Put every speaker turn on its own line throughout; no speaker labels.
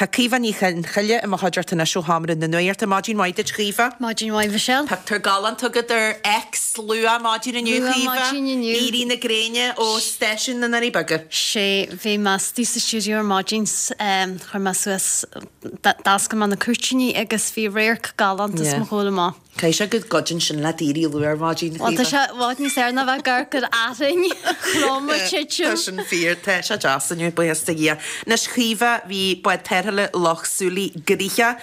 Tá Caoimhe Ní Chionchoille i mo chuideachta anois ó Sheomra na Nuachta. Maidin mhaith duit, Chaoimhe.
Maidin mhaith, Michelle.
Pictiúr galánta agat ar X luath maidin inniu,
Luath
Chaoimhe.
maidin inniu.
Éirí na gréine ó stáisiún na nDoirí Beaga.
Sé, bhí mé istigh sa stiúideo ar maidin, chuir mé suas, d'oscail mé na cúirtíní agus bhí radharc galánta os mo chomhair amach.
Caithfidh sé go gcuidíonn sin leat éirí luath ar maidin,
Bhuel, tá sé i bhfad níos fearr ná bheith ag amharc ar fhearthainn throm ag titim.
Tá sin fíor. Tá sé deas inniu, buíochas do Dhia. Anois, Chaoimhe, bhí bád tarrthála Loch Súilí gnoitheach.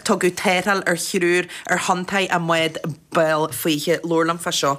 Tugadh tarrtháil ar thriúr ar thonntaí i mbád Béal Faoithe. Labhair liom fá seo.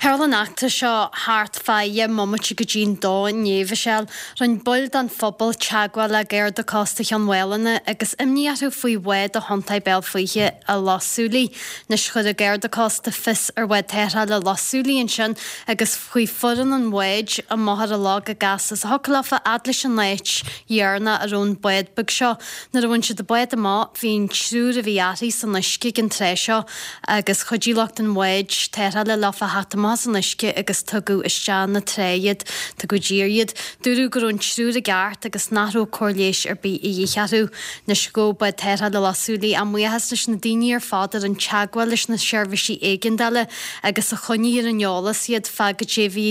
Tharla an eachtra seo thart fá dheich mbomaite go dtí'n dó inné, Mhichelle. Rinne baill den phobal teagmháil le Garda Cósta Chionn Mhálanna agus imní orthu faoi bhád a thiontaigh Béal Faoithe i Loch Súilí. Anois chuir an Garda Cósta fios ar bhád tarrthála Loch Súilí ansin agus chuaigh foireann an bháid amach ar an loch go gasta is a thiocfadh leofa fhad leis an áit dheireanach a raibh an bád beag seo. Nuair a bhain siad an bád amach bhí an triúr a bhí uirthi san uisce ag an tráth seo agus chuidigh lucht an bháid tarrthála leofa theacht amach as an uisce agus tugadh isteach na trá iad. Tugadh i dtír iad. Dúradh go raibh an triúr i gceart agus nach raibh cóir leighis ar bith a dhíth orthu. Anois ghabh bád tarrthála Loch Súilí a mbuíochas leis na daoine ar fad a rinne teagmháil leis na seirbhísí éigeandála agus a choinnigh ar an eolas iad fá goidé a bhí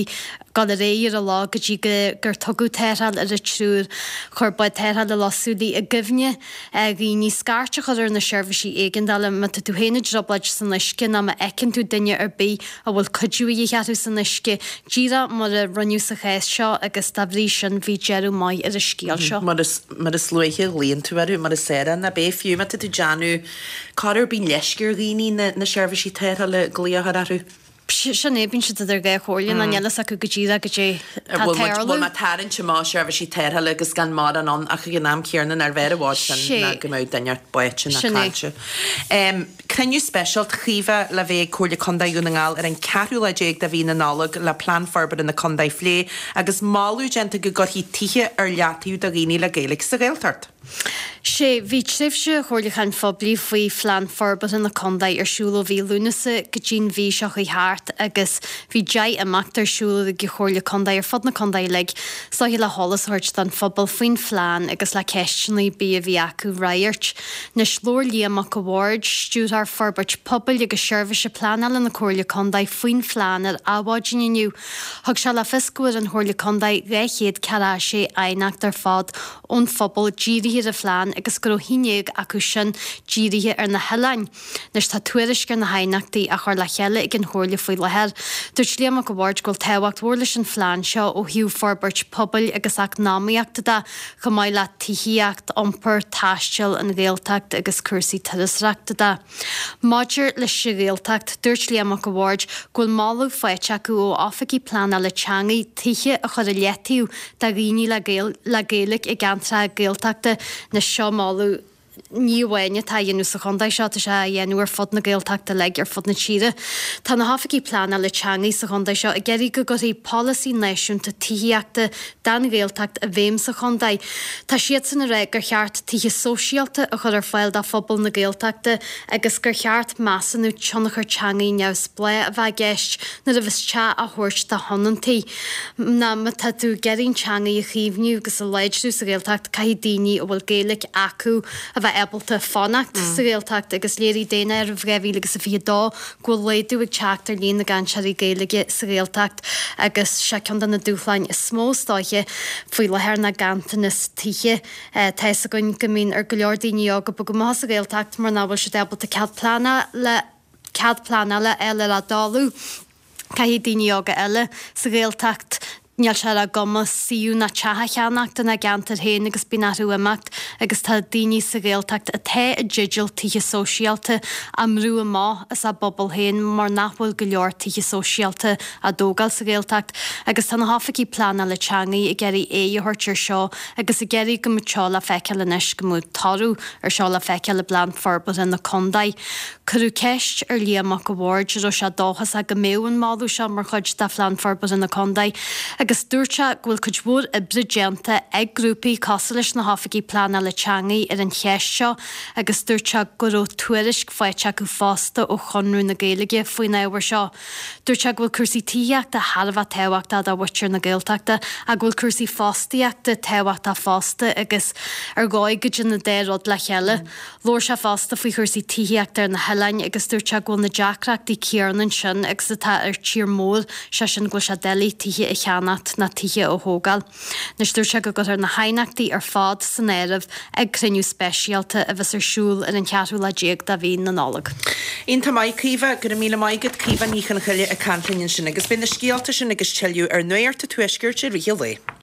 dul ar aghaidh ar an loch go dtí gur tugadh tarrtháil ar an triúr. Chuir bád tarrthála Loch Súilí i gcuimhne ar dhaoine scairt a chur ar na seirbhísí éigeandála má tá tú féin i dtrioblóid san uisce nó má fheiceann tú duine ar bith a bhfuil cuidiú a dhíth orthu san uisce, díreach mar a rinneadh sa chás seo agus dá bhrí sin bhí deireadh maith ar an scéal seo.
Mar is luaithe a ghlaonn tú orthu, mar is fearr ná beidh, fiú má tá tú ag déanamh corruair bíonn leisce ar dhaoine na seirbhísí tarrthála glaoch a chur orthu.
Sin é, bíonn siad idir dhá chomhairle nó níl fhios acu go díreach goidé tá ag tarlú.
Bhfuil mé ag tarraingt amach seirbhísí tarrthála agus gan mórán ann ach ag an am céanna nárbh fhearr i bhfad sin ná go mbeadh duine báite ná caillte. Cruinniú speisialta, Chaoimhe, le bheith ag Comhairle Contae Dhún na nGall ar an ceathrú lá déag de mhí na Nollag le Plean Forbartha na Contae a phlé agus moladh déanta go gcuirfí tithe ar leataobh do dhaoine le Gaeilge sa Ghaeltacht.
Sé, bhí tréimhse chomhairliúcháin phoiblí faoi Phlean Forbartha na Contae ar siúl ó mhí Lúnasa go dtí'n mhí seo chuaigh thart agus bhí 10 imeacht ar siúl ag an Chomhairle Contae ar fud na contae uilig, is dóiche le heolas a thabhairt don phobal faoin phlean agus le ceisteanna ar bith a bhí acu a fhreagairt. Anois labhair Liam Mac a' Bhaird, Stiúrthóir Forbairt Pobail agus Seirbhíse Pleanála na Comhairle Contae faoin phlean ar Adhmhaidin inniu. Thug sé le fios go bhfuair an Chomhairle Contae 246 aighneacht ar fad ón phobal dírithe ar an phlean agus go raibh 11 acu sin dírithe ar na hoileáin. Anois tá tuairisc ar na haighneachtaí á chur le chéile ag an Chomhairle faoi láthair. Dúirt Liam Mac a' Bhaird go bhfuil tábhacht mhór leis an phlean seo ó thaobh forbairt pobail agus eacnamaíochta de, chomh maith le tithíocht, iompar, taisteal, an Ghaeltacht agus cúrsaí turasóireachta de. Maidir leis an Ghaeltacht, dúirt Liam Mac a' Bhaird go bhfuil moladh faighte acu ó oifigigh pleanála teanga tithe a chur i leataobh do dhaoine le Gaeilge i gceantracha Gaeltachta. Anois seo moladh ní amháin atá á dhéanamh sa chontae seo, tá sé á dhéanamh ar fud na Gaeltachta uilig, ar fud na tíre. Tá na hoifigigh pleanála teanga sa chontae seo ag iarraidh go gcuirfí polasaí náisiúnta tithíochta don Ghaeltacht i bhfeidhm sa chontae. Tá siadsan ag rá gur cheart tithe sóisialta a chur ar fáil do phobal na Gaeltachta agus gur cheart measúnú tionchar teanga neamhspleách a bheith i gceist nuair a bheas teach á thabhairt do thionóntaí. Nó má tá tú ag iarraidh an teanga a chaomhnú agus a láidriú sa Ghaeltacht caithfidh daoine a bhfuil Gaeilge acu a bheith ábalta fanacht sa Ghaeltacht agus léirigh Daonáireamh 2022 go bhfuil laghdú ag teacht ar líon na gcainteoirí Gaeilge sa Ghaeltacht agus sé ceann de na dúshláin is mó is dóiche faoi láthair ná ganntanas tithe. Tá fhios againn go mbíonn ar go leor daoine óga bogadh amach as an Ghaeltacht mar nach bhfuil siad ábalta cead pleanála cead pleanála a fháil ar a dtalamh. Caithfidh daoine óga eile sa Ghaeltacht, níl sé ar a gcumas suíomh ná teach a cheannacht ina gceantar féin agus bíonn orthu imeacht agus tá daoine sa Ghaeltacht atá i dteideal tithe sóisialta á mbrú amach as a bpobal féin mar nach bhfuil go leor tithe sóisialta á dtógáil sa Ghaeltacht agus tá na hoifigigh pleanála teanga ag iarraidh aghaidh a thabhairt ar seo agus ag iarraidh go mbeadh seo le feiceáil anois, go mbeadh toradh ar seo le feiceáil i bplean forbartha na contae. Cuireadh ceist ar Liam Mac a' Bhaird an raibh sé dóchasach go mbeadh an moladh seo mar chuid de Phlean Forbartha na Contae. Agus dúirt sé go bhfuil cuid mhór oibre déanta ag grúpaí cosúil leis na hOifigigh Pleanála Teanga ar an cheist seo agus dúirt sé go raibh tuairisc faighte acu fosta ó Chonradh na Gaeilge faoin ábhar seo. Dúirt sé go bhfuil cúrsaí tithíochta thar a bheith tábhachtach do mhuintir na Gaeltachta ach go bhfuil cúrsaí fostaíochta tábhachtach fosta agus ar dhóigh go dtéann an dá rud le chéile. Labhair sé fosta faoi chúrsaí tithíochta ar na hoileáin agus dúirt sé go bhfuil na deacrachtaí céanna ansin agus atá ar tír mór, sé sin go bhfuil sé doiligh tithe a cheannacht ná tithe a thógáil. Anois dúirt sé go gcuirfear na haighneachtaí ar fad san áireamh ag cruinniú speisialta a bheas ar siúl ar an cheathrú lá déag de mhí na Nollag.
Iontach maith, Caoimhe. Go raibh míle maith agat. Caoimhe Ní Chonchoille ag caint linn ansin agus beidh na scéalta sin agus tuilleadh ar Nuacht an Tuaiscirt i rith an lae.